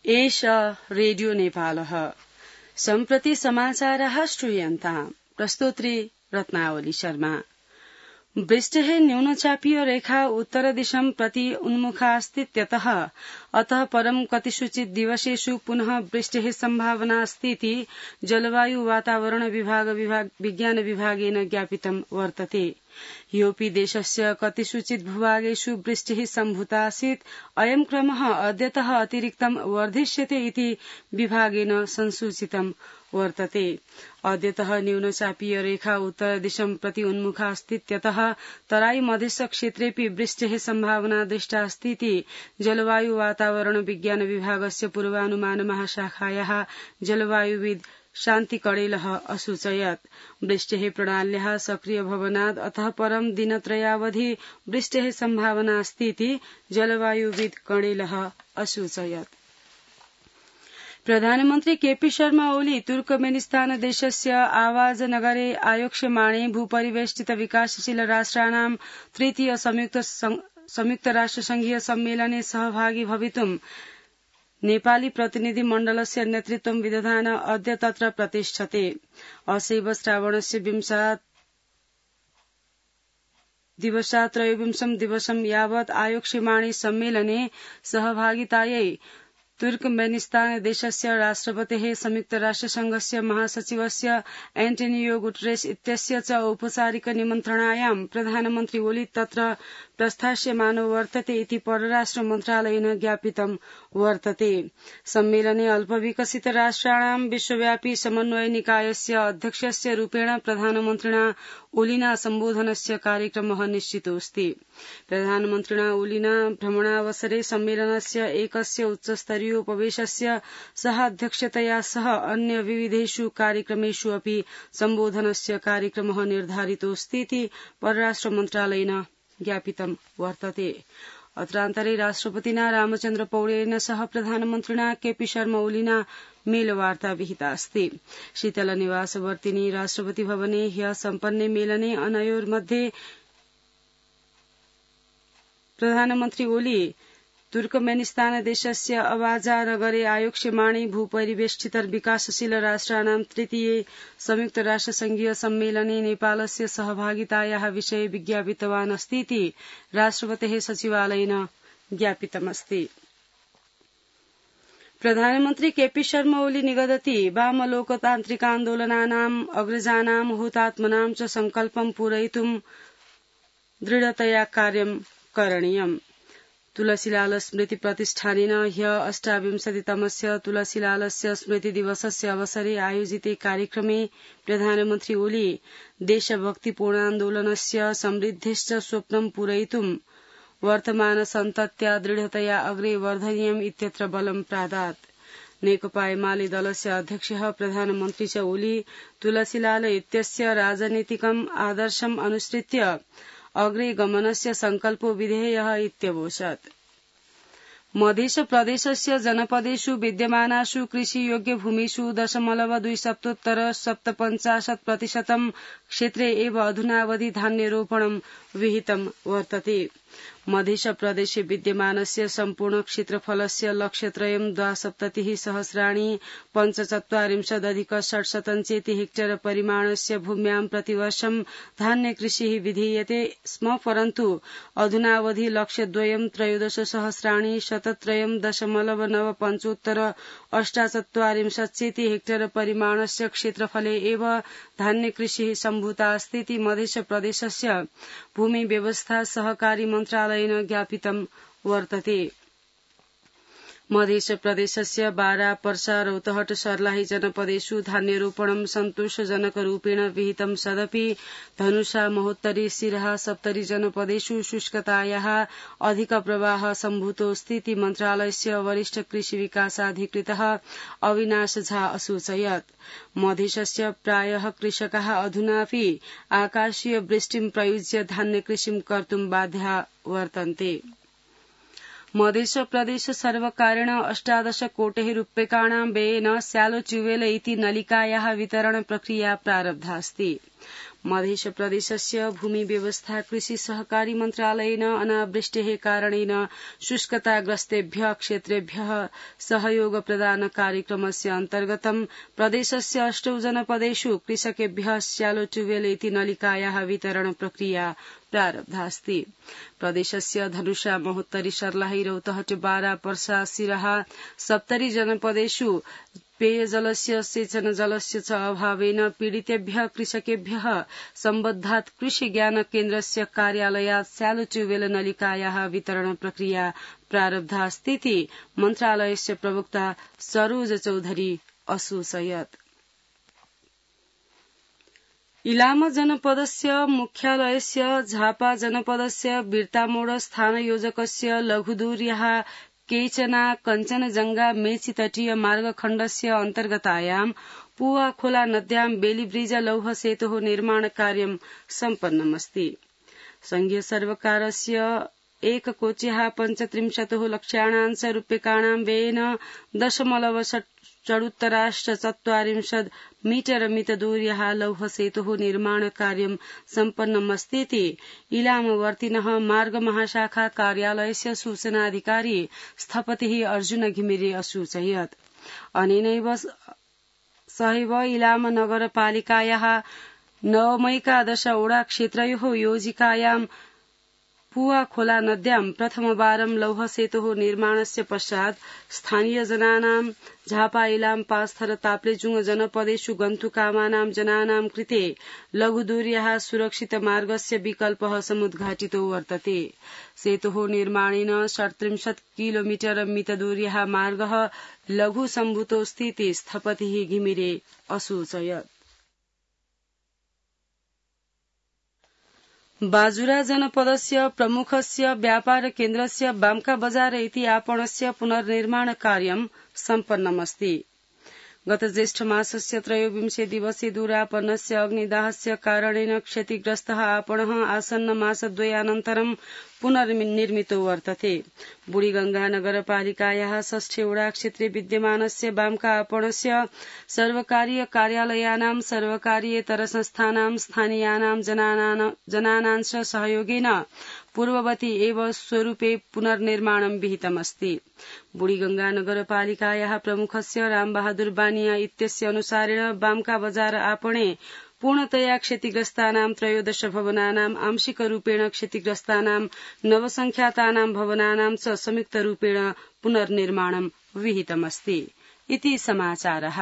एष रेडियो नेपालः सम्प्रति समाचारः श्रूयन्ताम् प्रस्तोत्री रत्नावली शर्मा। वृष्टिः न्यूनचापीय रेखा उत्तरदिशं प्रति उन्मुखास्तीत्यतः अतः परं कतिषुचित् दिवसेषु पुनः वृष्टिः सम्भावना अस्तीति जलवायु वातावरण विज्ञान विभागेन ज्ञापितं वर्तते। ह्योऽपि देशस्य कतिषुचित् भूभागेषु वृष्टिः सम्भूता आसीत्। अयं क्रमः अद्यतः अतिरिक्तं वर्धिष्यते इति विभागेन संसूचितं वर्तते। अद्यतः न्यूनचापीय रेखा उत्तरदिशं प्रति उन्मुखा अस्तीत्यतः तराई मधेश क्षेत्रेऽपि वृष्टेः सम्भावना दृष्टा अस्तीति जलवायु वातावरण विज्ञान विभागस्य पूर्वानुमान महाशाखायाः जलवायुविद् शान्ति कडेलः असूचयत्। वृष्टेः प्रणाल्याः सक्रिय भवनात् अतः परं दिनत्रयावधि वृष्टेः सम्भावना अस्तीति जलवायुविद् कडेलः असूचयत्। प्रधानमन्त्री केपी शर्मा ओली तुर्कमेनिस्तान देशस्य आवाज नगरे आयोक्ष्यमाणे भूपरिवेष्टित विकासशील राष्ट्राणां तृतीय संयुक्त राष्ट्रसंघीय सम्मेलने सहभागी भवितुं नेपाली प्रतिनिधि मण्डलस्य नेतृत्वं विदधान अद्य तत्र प्रतिष्ठते। असैव श्रावणस्य 20 दिवसात् त्रयोविंशं दिवसं यावत् आयोक्ष्यमाणे सम्मेलने सहभागितायै तुर्कमेनिस्तान देशस्य राष्ट्रपतेः संयुक्त राष्ट्रसंघस्य महासचिवस्य एन्टोनियो गुटेरेस इत्यस्य च औपचारिक निमन्त्रणायां प्रधानमन्त्री ओली तत्र प्रस्थास्यमानो वर्तते इति परराष्ट्र मन्त्रालयेन ज्ञापितं वर्तते। सम्मेलने अल्पविकसित राष्ट्राणां विश्वव्यापी समन्वय निकायस्य अध्यक्षस्य रूपेण प्रधानमन्त्रिणा ओलिना सम्बोधनस्य कार्यक्रमः निश्चितोऽस्ति। प्रधानमन्त्रिणा ओलिना भ्रमणावसरे सम्मेलनस्य एकस्य उच्चस्तरीयोपवेशस्य सह अध्यक्षतया सह अन्य विविधेषु कार्यक्रमेषु अपि सम्बोधनस्य कार्यक्रमः निर्धारितोऽस्तीति परराष्ट्र मन्त्रालयेन ज्ञापितं वर्तते। अत्रान्तरे राष्ट्रपतिना रामचन्द्र पौडेलेन सह प्रधानमन्त्रिणा केपी शर्मा ओलिना मेलवार्ता विहिता अस्ति। शीतल निवासवर्तिनी राष्ट्रपति भवने ह्यः सम्पन्ने मेलने अनयोर्मध्ये प्रधानमन्त्री ओली तुर्कमेनिस्तान देशस्य अवाजा नगरे आयोक्ष्यमाणे भूपरिवेष्टित विकासशील राष्ट्राणां तृतीये संयुक्त राष्ट्रसंघीय सम्मेलने नेपालस्य सहभागितायाः विषये विज्ञापितवान् अस्तीति राष्ट्रपतेः सचिवालयेन ज्ञापितमस्ति। प्रधानमन्त्री केपी शर्मा ओली निगदति वाम लोकतान्त्रिकान्दोलनानाम् अग्रजानां हुतात्मनां च संकल्पं पूरयितुं दृढतया कार्यं करणीयम्। तुलसीलाल स्मृति प्रतिष्ठानेन ह्यः 28तमस्य तुलसीलालस्य स्मृति दिवसस्य अवसरे आयोजिते कार्यक्रमे प्रधानमन्त्री ओली देशभक्तिपूर्णान्दोलनस्य समृद्धिश्च स्वप्नं पूरयितुं वर्तमान सन्तत्या दृढतया अग्रे वर्धनीयम् इत्यत्र बलं प्रादात्। नेकपा एमाले दलस्य अध्यक्षः प्रधानमन्त्री च ओली तुलसीलाल इत्यस्य राजनीतिकम् आदर्शम् अनुसृत्य अग्रे गमनस्य संकल्पो विधेयः इत्यवोचत्। मध्य प्रदेशस्य जनपदेषु विद्यमानासु कृषियोग्य भूमिषु 0.257% क्षेत्रे एव अधुनावधि धान्यरोपणं विहितं वर्तते। मध्य प्रदेशे विद्यमानस्य सम्पूर्ण क्षेत्रफलस्य लक्ष्यत्रयं 72,75,45,600 चेति हेक्टेयर परिमाणस्य भूम्यां प्रतिवर्षं धान्यकृषिः विधीयते स्म, परन्तु अधुनावधि लक्ष्यद्वयं 13,0.995 चेति हेक्टेयर परिमाणस्य क्षेत्रफले एव धान्यकृषिः सम्भूता अस्तीति मध्य प्रदेशस्य भूमि व्यवस्था सहकारी मन्त्रालयेन ज्ञापितं वर्तते। मध्य प्रदेशस्य बारा, पर्सा, रौतहट, सर्लाही जनपदेषु धान्यरोपणं सन्तोषजनकरूपेण विहितं सदपि धनुषा, महोत्तरी, सिराहा, सप्तरी जनपदेषु शुष्कतायाः अधिकप्रवाहः सम्भूतोऽस्तीति मन्त्रालयस्य वरिष्ठ कृषि विकासाधिकृतः अविनाश झा असूचयत्। मधेशस्य प्रायः कृषकाः अधुनापि आकाशीय वृष्टिं प्रयुज्य धान्यकृषिं कर्तुं बाध्याः वर्तन्ते। मध्य प्रदेश सर्वकारेण 18 कोटेः रूप्यकाणां व्ययेन स्यालो ट्यूबवेल इति नलिकायाः वितरण प्रक्रिया प्रारब्धा अस्ति। मध्य प्रदेशस्य भूमि व्यवस्था कृषि सहकारी मन्त्रालयेन अनावृष्टेः कारणेन शुष्कताग्रस्तेभ्यः क्षेत्रेभ्यः सहयोग प्रदान कार्यक्रमस्य अन्तर्गतं प्रदेशस्य 8 जनपदेषु कृषकेभ्यः श्यालो ट्यूबवेल इति नलिकायाः वितरण प्रक्रिया प्रारब्धास्ति। प्रदेशस्य धनुषा महोत्तरी सर्लाही रौतहट बारा पर्सा सिराहा सप्तरी जनपदेषु पेयजलस्य सेचन जलस्य च अभावेन पीडितेभ्यः कृषकेभ्यः सम्बद्धात् कृषि ज्ञान केन्द्रस्य कार्यालयात् स्यालो ट्यूबवेल नलिकायाः वितरण प्रक्रिया प्रारब्धास्तीति मन्त्रालयस्य प्रवक्ता सरोज चौधरी असूचयत्। इलाम जनपदस्य मुख्यालयस्य झापा जनपदस्य बिर्तामोड स्थानयोजकस्य लघुदूर्याः केचना कञ्चनजंगा मेची तटीय मार्गखण्डस्य अन्तर्गतायां पुवा खोला नद्यां बेलीब्रिज लौह सेतोः निर्माण कार्यं सम्पन्नमस्ति। संघीय सर्वकारस्य 1,35 लक्षाणां रूप्यकाणां व्ययेन 0.44 मीटर मितदूर्याः लौह सेतोः निर्माण कार्यं सम्पन्नमस्तीति इलामवर्तिनः मार्ग महाशाखा कार्यालयस्य सूचनाधिकारी स्थपतिः अर्जुन घिमिरे असूचयत्। अनेनैव सहैव इलाम नगरपालिकायाः नवमैकादश ओडा क्षेत्रयोः योजिकायां पुवा खोला नद्यां प्रथमवारं लौह सेतोः निर्माणस्य पश्चात् स्थानीय जनानां झापा इलाम पास्थर ताप्लेजुङ जनपदेषु गन्तुकामानां जनानां कृते लघुदूर्याः सुरक्षित मार्गस्य विकल्पः समुद्घाटितो वर्तते। सेतोः निर्माणेन 37 किलोमीटर मितदूर्याः मार्गः लघु सम्भूतोऽस्तीति स्थपतिः घिमिरे असूचयत्। बाजुरा जनपदस्य प्रमुखस्य व्यापार केन्द्रस्य बाम्का बजार इति आपणस्य पुनर्निर्माण कार्यं सम्पन्नमस्ति। गत ज्येष्ठ मासस्य 23 दिवसे दूरापन्नस्य अग्निदाहस्य कारणेन क्षतिग्रस्तः आपणः आसन्न मासद्वयानन्तरं पुनर्निर्मितो वर्तते। बुढीगंगा नगरपालिकायाः 6 ओडा क्षेत्रे विद्यमानस्य बाम्का आपणस्य सर्वकारीय कार्यालयानां सर्वकारीयेतर संस्थानां स्थानीयानां जनानां च सहयोगेन पूर्ववती एव स्वरूपे पुनर्निर्माणं विहितमस्ति। बुढीगंगा नगरपालिकायाः प्रमुखस्य रामबहादुर बानिया इत्यस्य अनुसारेण बाम्का बजार आपणे पूर्णतया क्षतिग्रस्तानां 13 भवनानां आंशिकरूपेण क्षतिग्रस्तानां नवसंख्यातानां भवनानां च संयुक्तरूपेण पुनर्निर्माणं विहितमस्ति। इति समाचारः।